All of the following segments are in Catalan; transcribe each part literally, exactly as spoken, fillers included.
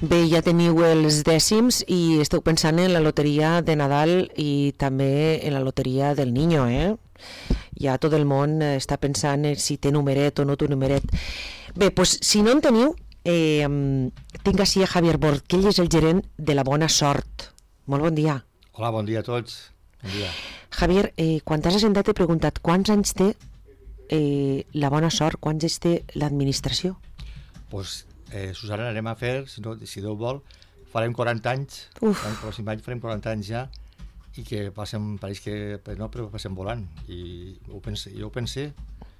Bé, ja teniu els dècims i esteu pensant en la loteria de Nadal i també en la loteria del Niño, eh? Ja tot el món està pensant en si té numeret o no té numeret. Bé, doncs si no en teniu, eh, tinc així a Javier Bord, que ell és el gerent de la Bona Sort. Molt bon dia. Hola, bon dia a tots. Bon dia. Javier, eh, quan t'has assentat t'he preguntat quants anys té eh, la Bona Sort, quants anys té l'administració? Doncs, pues, eh, Susana, anem a fer, si, no, si Déu vol, farem quaranta anys. Uf. El pròxim any farem quaranta anys ja, i que passen, pareix que no, però passem volant. I ho pense, jo ho pense,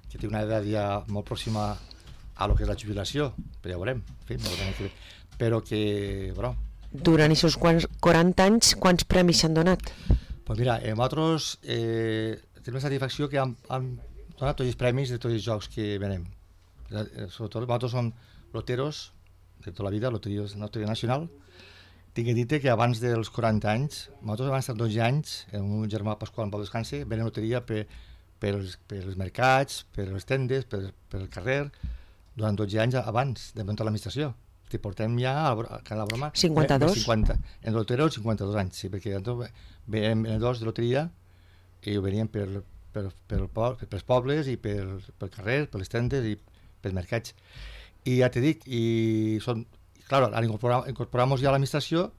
que té una edat ja molt pròxima a lo que és la jubilació, però ja ho veurem. En fi, no veurem que... Però que, bueno... Durant aquests quaranta anys, quants premis s'han donat? Pues mira, eh, nosaltres eh, tenim la satisfacció que hem, hem donat tots els premis de tots els jocs que venem. Eh, sobretot nosaltres som loteros de tota la vida, loteria, loteria nacional. Tinc que dir que abans dels quaranta anys, nosaltres abans dels dotze anys, amb un germà Pasqual en Pau Descanse, venem loteria per, per, els, per els mercats, per les tendes, per, per el carrer, durant dotze anys abans de muntar l'administració. Te portem ja a la broma cinquanta-dos? cinquanta, en lotero cinquanta-dos anys, sí, perquè veiem venedors de loteria i ho veníem per, per, per, per, per els pobles i per, pel carrer, per les tendes i pels mercats. I ja te dic, i són, clar, al incorporar, incorporar-nos ja a l'administració,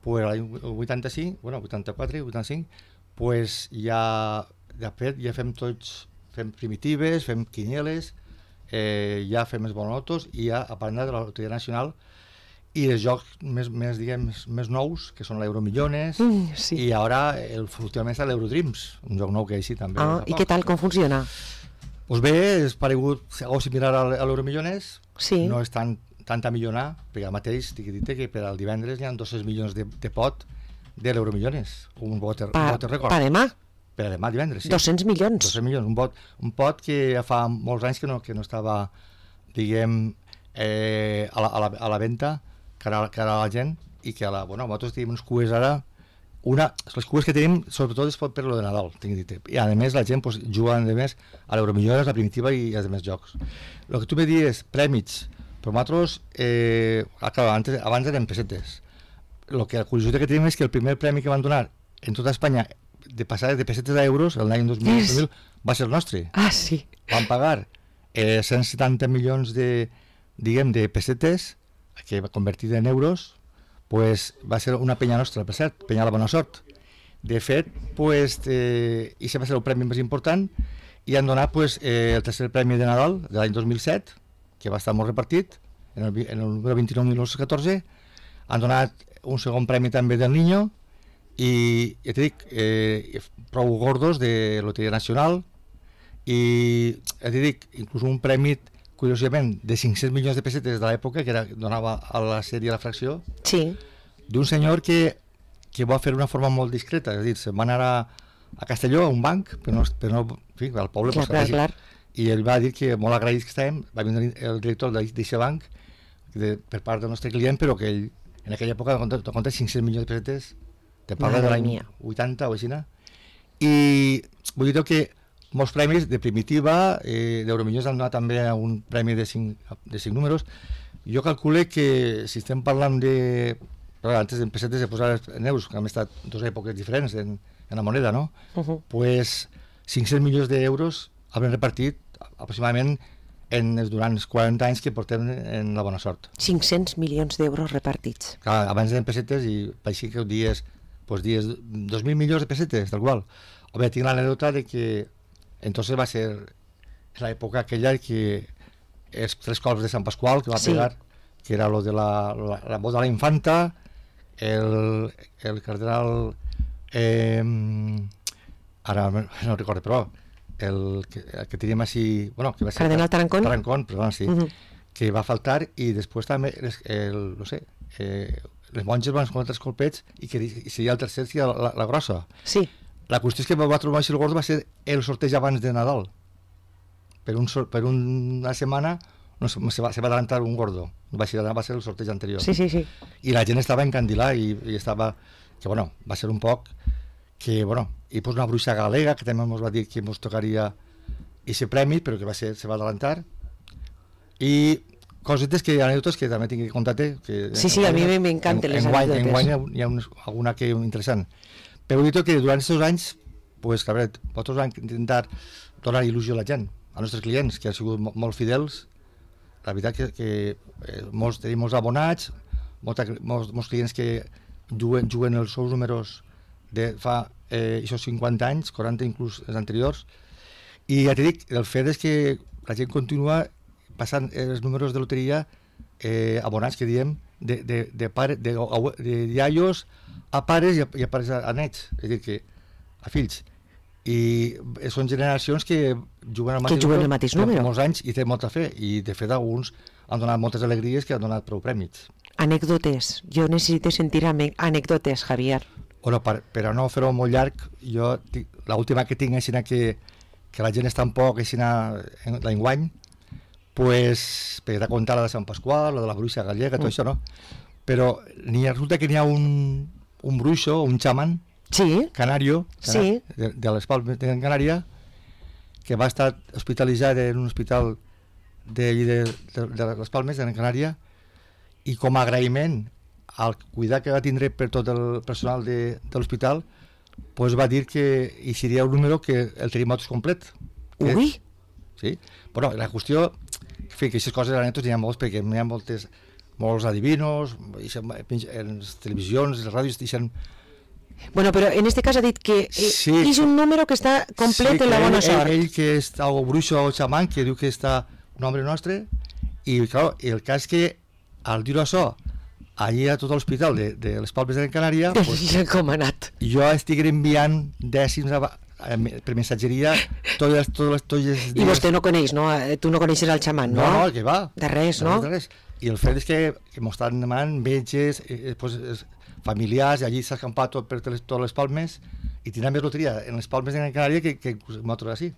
pues l'any vuitanta-cinc, bueno, vuitanta-quatre, vuitanta-cinc, pues ja, de fet, ja fem tots, fem primitives, fem quinieles, Eh, ja fem els bonotos i ja a part de la Loteria Nacional i els jocs més, més, diguem, més nous, que són l'Euromillones, mm, sí. i ara el, últimament està l'Eurodreams, un joc nou que així també. Ah, i què tal, com funciona? Doncs bé, és paregut, algo similar a l'Euromillones, sí. No és tan, tant a millonar, perquè al mateix t'he dit que per al divendres hi ha dos cents milions de, de pot de l'Euromillones, un vot, pa, un vot de record. Pa demà? Per a demà divendres, sí. dos-cents milions? dos-cents milions, un pot, un pot que ja fa molts anys que no, que no estava, diguem, eh, a, la, a, la, a la venda, cara, cara a la gent, i que a la, bueno, nosaltres tenim uns cues ara, una, les cues que tenim, sobretot és per lo de Nadal, tinc dit, i a més la gent pues, juga a més a l'Euromillones, la primitiva i als altres jocs. El que tu me dius, prèmits, però nosaltres, eh, abans, abans eren pessetes. El que la curiositat que tenim és que el primer premi que van donar en tota Espanya de passar de pessetes a euros l'any dos mil yes. va ser el nostre. Ah, sí. Vam pagar eh, cent setanta milions de, diguem, de pessetes que convertit en euros, pues, va ser una penya nostra, per cert, penya la Bona Sort. De fet, pues, eh, i va ser el premi més important i han donat pues, eh, el tercer premi de Nadal de l'any dos mil set, que va estar molt repartit, en el, en el número vint-i-nou mil nou-cents catorze. Han donat un segon premi també del Niño, i ja t'he dit, eh, prou gordos de Loteria Nacional i ja t'he dit, inclús un premi curiosament de cinc-cents milions de pessetes de l'època que era, donava a la sèrie a la fracció, sí. D'un senyor que, que va fer una forma molt discreta, és a dir, se'n va anar a, a Castelló, a un banc, però no, però no en fi, al poble, clar, clar, clar. I ell va dir que molt agraïts que estàvem, va venir el director d'aquest banc de, per part del nostre client, però que ell en aquella època de compte cinc-cents milions de pessetes, te parla de l'any vuitanta o així, i vull dir que molts premis de primitiva, eh, d'Euromillones han donat també un premi de cinc, de cinc números. Jo calcule que si estem parlant de, però antes de pessetes de posar en euros, que han estat dues èpoques diferents en, en la moneda, no? Uh -huh. Pues cinc-cents milions d'euros han repartit aproximadament en els durant els quaranta anys que portem en la Bona Sort. cinc-cents milions d'euros repartits. Clar, abans eren pessetes i així que ho dies pues dies dos mil milions de pessetes, tal qual. O bé, tinc l'anècdota de que entonces va ser l'època aquella que els tres cops de Sant Pasqual que va sí. pegar, que era lo de la, la, la boda de la infanta, el, el cardenal eh, ara no recordo, però el que, el que teníem així, bueno, que va ser Cardenal Tarancón, Tarancón, perdó, sí, uh -huh. que va faltar i després també el, el no sé, eh, les monges van escoltar els colpets i que i seria el tercer, seria la, la, la grossa. Sí. La qüestió és que va trobar el gordo va ser el sorteig abans de Nadal. Per, un, per una setmana no, se, va, se va adelantar un gordo. Va ser, va ser el sorteig anterior. Sí, sí, sí. I la gent estava encandilada i, i estava... Que, bueno, va ser un poc... Que, bueno, i pues una bruixa galega que també ens va dir que ens tocaria aquest premi, però que va ser, se va adelantar. I cosetes que, anècdotes que també tinc que contar-te. Que sí, sí, a mi m'encanten les anècdotes. En guany hi ha una, alguna que interessant. Però vull dir que durant aquests anys, pues, que a veure, vosaltres van intentar donar il·lusió a la gent, als nostres clients, que han sigut molt fidels. La veritat que, que eh, molts, tenim molts abonats, molta, molts, molts clients que juguen, juguen els seus números de fa eh, això cinquanta anys, quaranta inclús els anteriors, i ja t'he dit, el fet és que la gent continua passant els números de loteria eh, abonats, que diem, de, de, de, pare, de, de iaios a pares i a, i a pares a, a nets, és a dir, que a fills. I són generacions que juguen al mateix, que juguen el mateix número molts anys i té molta fe, i de fet alguns han donat moltes alegries que han donat prou prèmits. Anècdotes, jo necessito sentir anècdotes, Javier. Bueno, per, per a no fer-ho molt llarg, jo l'última que tinc és que, que la gent està un poc l'enguany, pues, per a contar la de Sant Pasqual, la de la bruixa gallega, tot mm. això, no? Però ni resulta que n'hi ha un, un bruixo, un xaman, sí. canario, sí. de, de les Palmes de Canària, que va estar hospitalitzat en un hospital de, de, de, de les Palmes de Canària, i com a agraïment al cuidar que va tindre per tot el personal de, de l'hospital, pues va dir que hi seria un número que el tenim nosaltres complet. Ui! Sí, però la qüestió, en fi, que aquestes coses anècdotes hi ha molts, perquè hi ha moltes, molts adivinos, en les televisions, les ràdios, deixen... Bueno, però en este cas ha dit que sí, és un número que està complet sí, en la bona ell, sort. Ell, ell que està, o bruixo o xamán, que diu que està un home nostre, i clar, el cas que al dir això, allà a tot l'hospital de, de les Palmes de Canària, pues, com ha anat? Jo estic enviant dècims a, a, per missatgeria totes, totes, totes les dies. I vostè no coneix, no? Tu no coneixes el xamán, no? No, no, que va. De res, no? De res. I el fet és que, que m'ho estan demanant metges, eh, pues, familiars, i allí s'ha escampat tot per totes les Palmes, i tindrà més loteria en les Palmes de Canària que, que nosaltres així.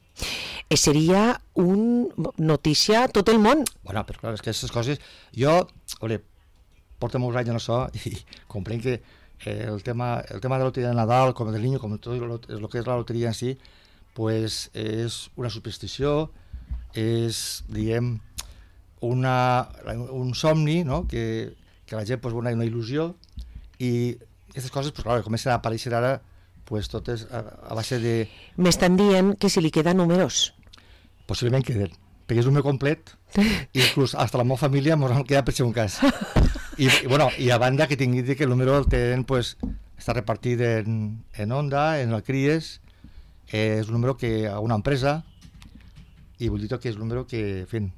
Eh, seria una notícia a tot el món. Bueno, però clar, és que aquestes coses... Jo, a veure, porta molts anys en això i comprenc que eh, el, tema, el tema de la loteria de Nadal, com del Niño, com tot el, el que és la loteria en si, pues, és una superstició, és, diguem, una, un somni, no? que, que la gent pues, una, una il·lusió, i aquestes coses pues, clar, comencen a aparèixer ara pues, totes a, a base de... M'estan dient que si li queden números. Possiblement queden, perquè és un número complet, inclús hasta la meva família m'ho han quedat per ser un cas. I, i, bueno, i a banda que tingui que el número el tenen, pues, està repartit en, en Onda, en el Cries, eh, és un número que a una empresa, i vull dir que és un número que fent.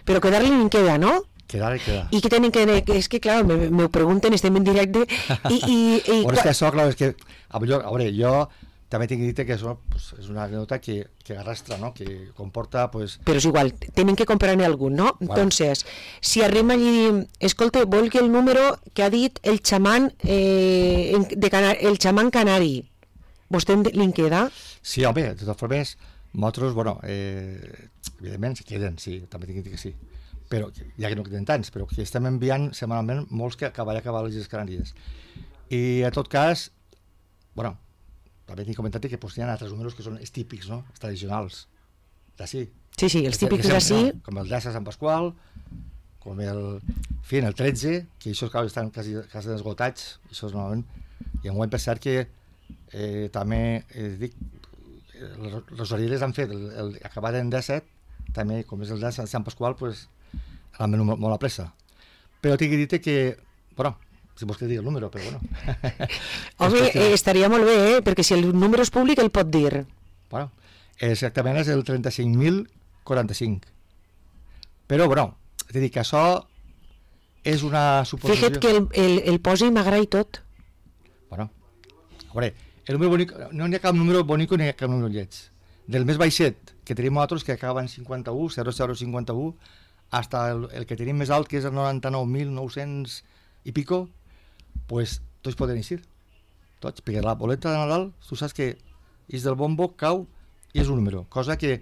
Però quedar-li en queda, no? Quedar i quedar. I que tenen que... És que, clar, me, me ho pregunten, estem en directe, i... i, i bueno, és que això, clar, és que... A veure, jo també tinc que dir que això pues, és una anècdota que, que arrastra, no? Que comporta, pues... Però és igual, tenen que comprar-ne algun, no? Bueno. Entonces, si arriba allí i diu, escolta, vol que el número que ha dit el xamán, eh, de Canar el xamán canari, vostè li en queda? Sí, home, de totes formes, nosaltres, bueno, eh, evidentment, si queden, sí, també tinc que dir que sí. Però, ja que no queden tants, però que estem enviant setmanalment molts que acabarà acabar les Canàries. I, en tot cas, bueno, també tinc comentat que pues, hi ha altres números que són els típics, no? Els tradicionals, d'ací. Sí, sí, els típics d'ací. No? Com el d'Assa Sant Pasqual, com el, en fi, el tretze, que això clar, estan quasi, quasi esgotats, això és normalment, i en guany per cert que eh, també, eh, dic, les orelles han fet, el, el, acabat en disset, també, com és el de Sant Pasqual, pues, l'han venut molt, molt a pressa. Però tinc que dir que, bueno, si vols que digui el número, però bueno. Home, eh, estaria molt bé, eh? Perquè si el número és públic el pot dir. Bueno, exactament és el trenta-cinc mil quaranta-cinc. Però, bueno, és a dir, que això és una suposició... Fixa't que el, el, el posi i m'agrada i tot. Bueno, a veure, el número bonic, no hi ha cap número bonic ni hi ha cap número lleig. Del més baixet, que tenim nosaltres, que acaba en cinquanta-u, zero zero cinquanta-u, hasta el, el que tenim més alt, que és el noranta-nou mil nou-cents i pico, pues tots poden eixir. Tots, perquè la boleta de Nadal, tu saps que és del bombo, cau i és un número. Cosa que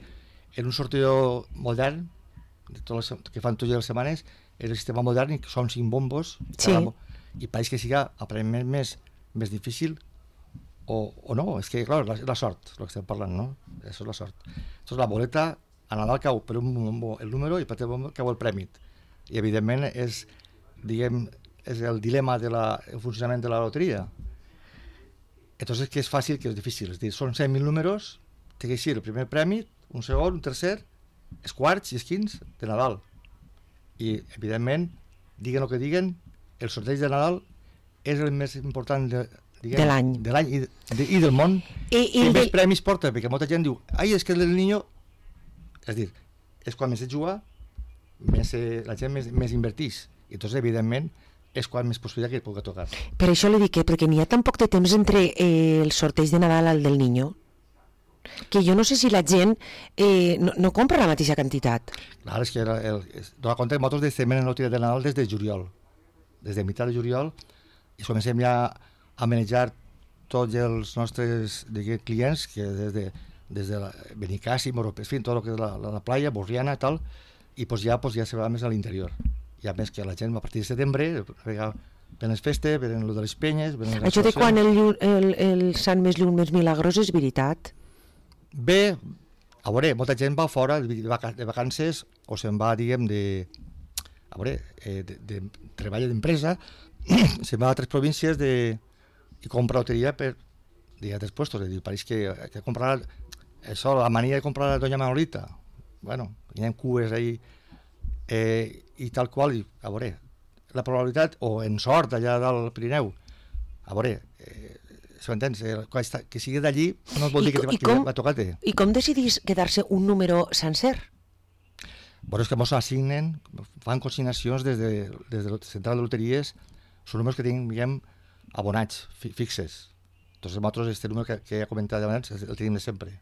en un sorteo modern, de tot les, que fan totes les setmanes, el sistema modern són cinc bombos, sí. Cada, i pareix que siga aparentment més, més difícil, o, o no, és que clar, la, la sort, el que estem parlant, no? Això és la sort. Això és la boleta, a Nadal cau per un bombo el número i per el bombo cau el prèmit. i evidentment és, diguem, és el dilema del funcionament de la loteria. Entonces, que és fàcil, que és difícil. És dir, són cent mil números, té que ser el primer premi, un segon, un tercer, els quarts i els quints de Nadal. I, evidentment, diguen el que diguen, el sorteig de Nadal és el més important de, diguem, de l'any de l'any i, de, i del món. I, i més de... premis porta, perquè molta gent diu, ai, és que el niño... És dir, és quan més et juga, més, eh, la gent més, més invertix. I entonces, evidentment, és quan més possibilitat que et pugui tocar. Per això li dic que, perquè n'hi ha tan poc de temps entre eh, el sorteig de Nadal al del niño, que jo no sé si la gent eh, no, no compra la mateixa quantitat. Clar, és que el, el, es, dona compte que nosaltres estem en la loteria de Nadal des de juliol, des de meitat de juliol, i comencem ja a manejar tots els nostres diguem, clients, que des de, des de la Benicàssim, en fi, tot el que és la, la, la playa, Borriana i tal, i pues ja, pues ja se va més a l'interior. I a més que la gent a partir de setembre ven les festes, ven el de les penyes... Això de quan el, el, el Sant més lluny més milagrós és veritat? Bé, a veure, molta gent va fora de vacances o se'n va, diguem, de... A veure, eh, de, de treball d'empresa, se'n va a altres províncies de, i compra loteria per dir, a altres puestos. Dir, pareix que, que comprar... Això, la mania de comprar la Doña Manolita. Bueno, hi ha cues ahí... Eh, i tal qual, i, a veure, la probabilitat, o en sort allà del Pirineu, a veure, eh, si ho entens, eh, que sigui d'allí no vol dir que, que va tocar-te. I com decidís quedar-se un número sencer? Bueno, és que ens assignen, fan consignacions des de, des de la central de loteries, són números que tinguem abonats, fi, fixes. Entonces nosaltres, este número que, que he comentat abans, el tenim de sempre.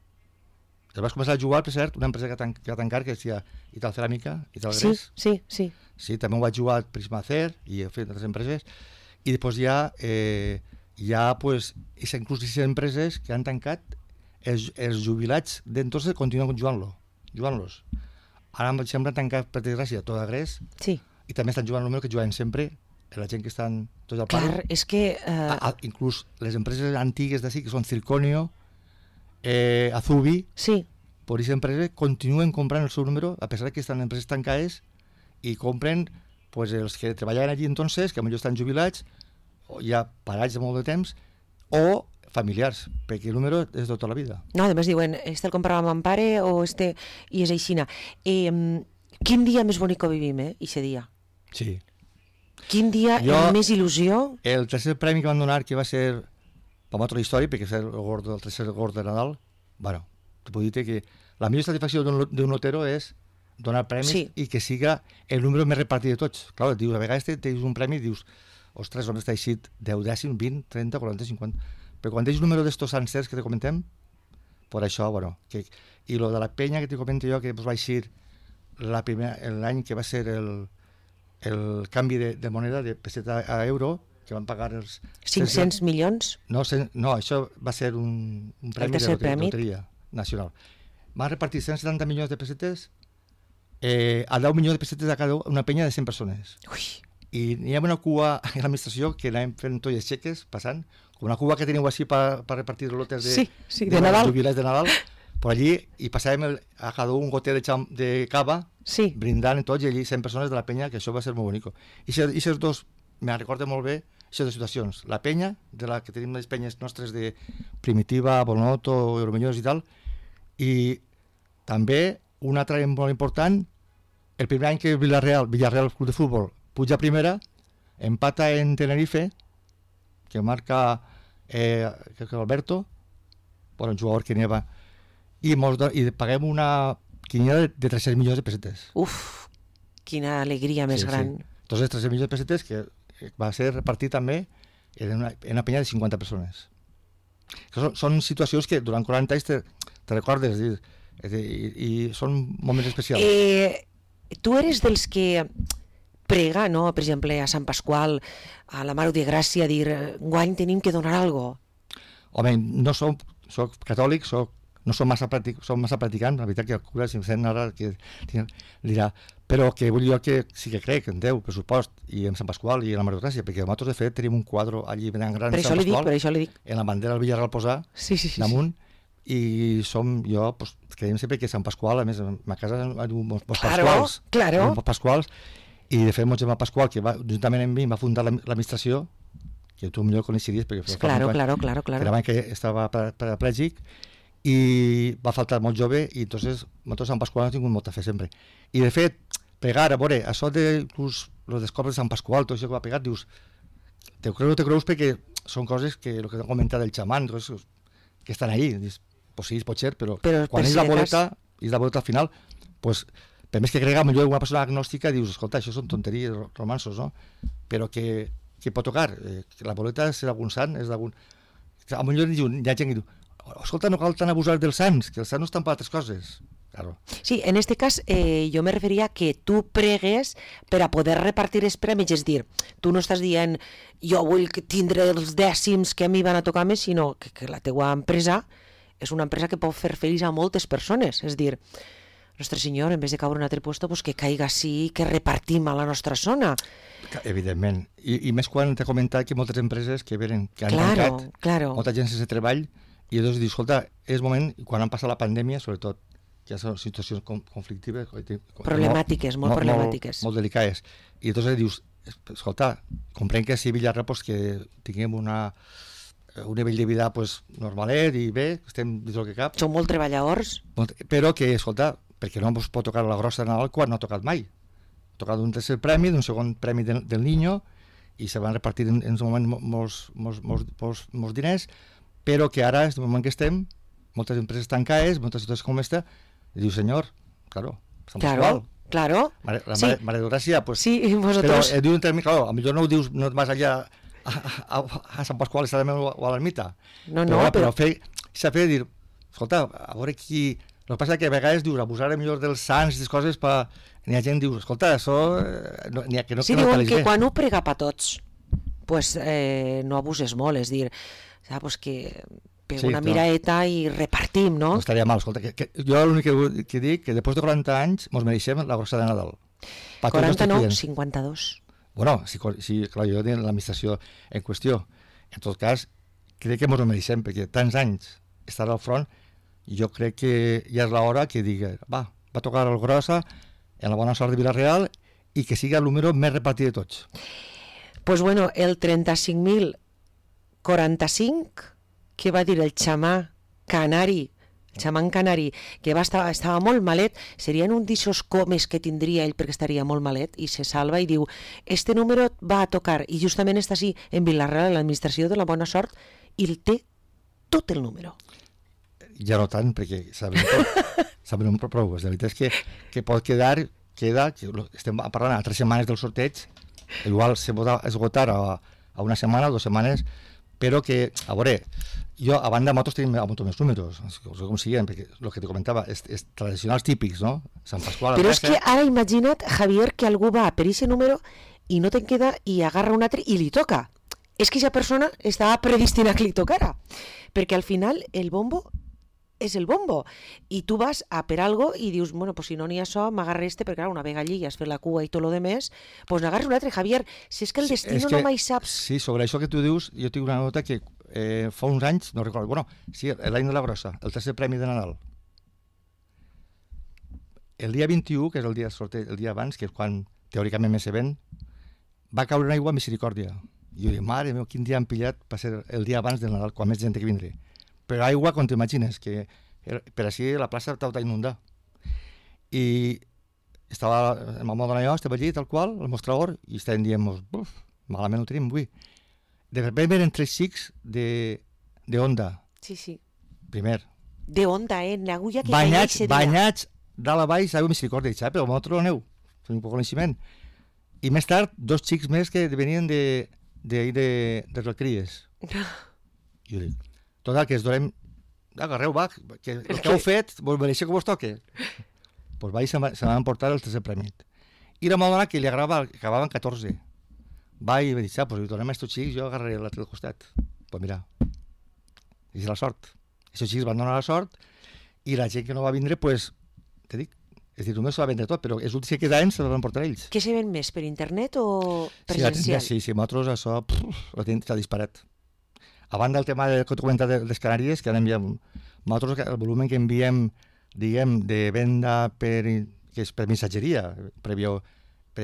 I vas començar a jugar, per cert, una empresa que, tan, que va tancar, que es deia Ital Ceràmica, Ital Gres. Sí, sí, sí. Sí, també ho vaig jugar a Prismacer i he fet altres empreses. I després ja, eh, ja pues, inclús aquestes empreses que han tancat, els, els jubilats d'entonces continuen jugant-lo, jugant-los. Ara em sembla tancat, per desgràcia, tot a Gres, sí. I també estan jugant el número que jugaven sempre, la gent que estan tots al pare. Clar, és que... Uh... A, a, inclús les empreses antigues d'ací, que són Circonio, Eh, Azubi, sí. Per aquesta empresa continuen comprant el seu número a pesar que estan en empreses tancades i compren pues, els que treballaven allí entonces, que potser estan jubilats o ja parats de molt de temps o familiars, perquè el número és de tota la vida. No, a més diuen, este el comprava mon pare o este, i és aixina. Eh, quin dia més bonic que vivim, eh, ixe dia? Sí. Quin dia jo, amb més il·lusió? El tercer premi que van donar, que va ser per altra història, perquè és el, gordo, el tercer gord de Nadal, bueno, te puc dir que la millor satisfacció d'un lotero és donar premis sí. I que siga el número més repartit de tots. Clar, dius, a vegades tens un premi i dius, ostres, on està eixit deu dècims, vint, trenta, quaranta, cinquanta... Però quan tens un número d'estos sencers que te comentem, per això, bueno... Que, I lo de la penya que te comento jo, que pues, va eixir l'any que va ser el, el canvi de, de moneda de peseta a euro, que van pagar els... cinc-cents milions? No, no, això va ser un, un premi de loteria, loteria nacional. Van repartir cent setanta milions de pessetes eh, a deu milions de pessetes a cada una penya de cent persones. Ui. I hi ha una cua a l'administració que anàvem fent tots els xeques, passant, com una cua que teniu així per pa repartir els lotes de, sí, sí, de, de Nadal. jubilats de Nadal, per allí, i passàvem el, a cada un goter de, xam, de cava, sí. Brindant tots, i allí cent persones de la penya, que això va ser molt bonic. I aquests dos, me recordo molt bé, això de situacions, la penya, de la que tenim les penyes nostres de Primitiva, Bonoto, Euromenyors i tal, i també un altre molt important, el primer any que Villarreal, Villarreal Club de Futbol, puja a primera, empata en Tenerife, que marca eh, crec que Alberto, bueno, un jugador que n'hi va, i, mos, i paguem una quiniela de, de tres-cents milions de pessetes. Uf, quina alegria més sí, gran. Sí. Entonces, tres-cents milions de pessetes que va ser repartit també en una, en una penya de cinquanta persones. Són, són situacions que durant quaranta anys te, te recordes i, i, i són moments especials. Eh, tu eres dels que prega, no? Per exemple, a Sant Pasqual, a la Mare de Gràcia, dir, guany tenim que donar alguna cosa. Home, no soc, soc catòlic, soc, no som massa, practic, som massa practicant, la veritat que el cura, si em sent ara, que dirà, però que vull dir que sí que crec en Déu, per supost, i en Sant Pasqual i en la Mare de Gràcia, perquè nosaltres, de fet, tenim un quadre allí ben gran per Sant Pasqual, dic, per això li dic. En la bandera del Villarreal posar, sí, sí, sí, damunt, sí. I som, jo, pues, creiem sempre que Sant Pasqual, a més, a ma casa hi ha uns claro, pasquals, claro. uns pasquals, I de fet, mon germà Pasqual, que va, juntament amb mi va fundar l'administració, que tu millor coneixiries, perquè fa claro, fa claro, claro, claro. Era que estava paraplègic i va faltar molt jove i entonces nosaltres Sant Pasqual hem tingut molta fe sempre. I de fet, pegar, a veure, això de los, los descobres de Sant Pasqual, tot això que va pegar, dius, te creus o te creus perquè són coses que, el que t'han comentat del xamán, coses que estan ahí, dius, pues sí, pot ser, però, però quan per és si la boleta, cas... és la boleta al final, pues, per més que crega, millor una persona agnòstica, dius, escolta, això són tonteries, romansos, no? Però que, que pot tocar, eh, que la boleta és d'algun sant, és d'algun... A millor hi ha gent que diu, escolta, no cal tan abusar dels sants, que els sants no estan per altres coses. Claro. Sí, en este cas eh, jo me referia a que tu pregues per a poder repartir els premis, és dir, tu no estàs dient jo vull tindre els dècims que a mi van a tocar més, sinó que, que la teua empresa és una empresa que pot fer feliç a moltes persones, és dir, Nostre Senyor, en vez de caure en un altre puesto, pues que caiga així, que repartim a la nostra zona. Evidentment, I, i més quan t'he comentat que moltes empreses que venen, que han claro, tancat, claro. molta gent sense treball, i llavors dius, escolta, és moment, quan han passat la pandèmia, sobretot, que hi ha situacions conflictives, problemàtiques, molt, molt problemàtiques. Molt, molt delicades. I llavors dius, escolta, comprenc que si Villarra pues, que tinguem una, un nivell de vida pues, normalet i bé, estem dins del que cap. Som molt treballadors. Però que, escolta, perquè no ens pot tocar la grossa de Nadal quan no ha tocat mai. Ha tocat un tercer premi, d'un segon premi del, del Niño, i se van repartir en, en un moment molts, molts, molts, molts, molts diners, però que ara, en el moment que estem, moltes empreses tancades, moltes situacions com aquesta, i diu, senyor, claro, Sant claro, Pasqual. Claro, Mare, la sí. Mare, Mare de Gràcia, pues, sí, vosotros... però eh, diu un terme, claro, a millor no ho dius, no et vas allà a, a, a Sant Pasqual o a l'ermita. No, no, però... però... però fer, s'ha fet dir, escolta, a veure qui... El que passa és que a vegades dius, abusar millor dels sants i les coses, pa... n'hi ha gent que diu, escolta, això... No, n'hi ha que no, sí, que no diuen que bé. quan ho prega per tots, pues, eh, no abuses molt, és dir, saps, pues que pega sí, una no. miraeta i repartim, no? No estaria mal, escolta, que, que, jo l'únic que, que dic que després de quaranta anys mos mereixem la grossa de Nadal. quaranta no, cinquanta-dos. Bueno, si, si clar, jo tinc l'administració en qüestió. En tot cas, crec que mos ho mereixem, perquè tants anys estar al front, jo crec que ja és l'hora que digui, va, va tocar el grossa en la bona sort de Vila-real i que sigui el número més repartit de tots. Pues bueno, el trenta-cinc mil quaranta-cinc, que va dir el xamà canari, el xamán canari, que va estar, estava molt malet, serien un d'aixòs comes que tindria ell perquè estaria molt malet, i se salva i diu, este número va a tocar, i justament està així en Vila-real, en l'administració de la bona sort, i el té tot el número. Ja no tant, perquè saben tot, saben un prou. La veritat és que, que pot quedar, queda, que estem parlant a tres setmanes del sorteig, igual se pot esgotar a, a una setmana o dues setmanes, però que, a veure, jo a banda de motos tenim molts més números, no sé com siguen, perquè el que te comentava és, és tradicionals típics, no? Sant Pasqual... Però és que ara imagina't, Javier, que algú va per aquest número i no te'n queda i agarra un altre i li toca. És que aquesta persona estava predestinada que li tocara, perquè al final el bombo és el bombo, i tu vas a per algo i dius, bueno, pues si no n'hi ha això, m'agarra este, perquè clar, una vegada allí ja has fet la cua i tot lo demés, pues n'agarres un altre, Javier, si és que el destino sí, que, no mai saps... Sí, sobre això que tu dius, jo tinc una nota que eh, fa uns anys, no recordo, bueno, sí, l'any de la grossa, el tercer premi de Nadal. El dia vint-i-u, que és el dia de sorteig, el dia abans, que és quan teòricament més se ven, va caure en aigua Misericòrdia. I jo dic, mare meu, quin dia han pillat per ser el dia abans del Nadal, quan més gent que vindré. Però aigua, com t'imagines, que per així la plaça estava inundada. I estava, el meu dona i jo, estava allí, tal qual, al mostrador, i estàvem dient, buf, malament ho tenim avui. De repente venen tres xics de, de Onda. Sí, sí. Primer. De Onda, eh? L'agulla que banyats, caia banyats, dalt a baix, aigua Misericòrdia, i però vosaltres no aneu, tenim poc coneixement. I més tard, dos xics més que venien de, de, de, de Recries. I jo dic, total, que es donem, agarreu, va, que el que heu fet, vos mereixeu que vos toque. Doncs pues va i se, se van portar el tercer premi. I la meva dona, que li agradava, que acabaven catorze, va i va dir, pues si donem a estos xics, jo agarraré l'altre del costat. Doncs pues mira, és la sort. Aquests xics van donar la sort, i la gent que no va vindre, pues, te dic, és dir, només se va vendre tot, però els últims que quedaven se van portar ells. Què se ven més, per internet o presencial? Sí, sí, sí, nosaltres això s'ha disparat. A banda del tema del que t'ho comentat de les Canàries, que ara enviem, nosaltres el volum que enviem, diguem, de venda per, que és per missatgeria, prèvio,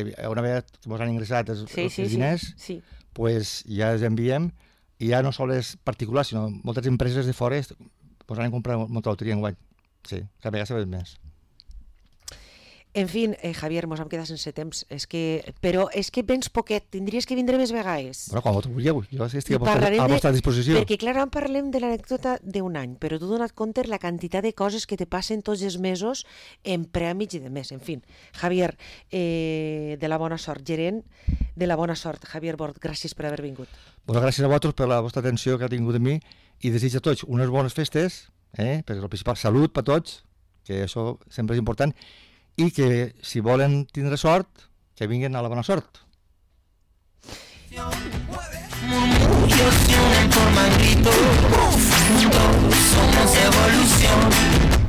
una vegada que ens han ingressat els, sí, sí, els diners, sí, sí. pues ja els enviem, i ja no sols particulars, sinó moltes empreses de fora ens han comprat molta loteria enguany. Sí, cada vegada sabem més. En fi, eh, Javier, mos hem quedat sense temps. És que, però és que vens poquet, tindries que vindre més vegades. Bueno, com ho vulgueu, jo estic a vostra, a vostra disposició. Perquè, clar, en parlem de l'anècdota d'un any, però tu dona't compte la quantitat de coses que te passen tots els mesos en prèmits i de més. En fi, Javier, eh, de la bona sort, gerent de la bona sort, Javier Bort, gràcies per haver vingut. Bueno, gràcies a vosaltres per la vostra atenció que ha tingut de mi i desitjo a tots unes bones festes, eh, perquè el principal, salut per tots, que això sempre és important, i que si volen tindre sort, que vinguin a la bona sort. Murmullos y una forma grito, juntos somos evolución.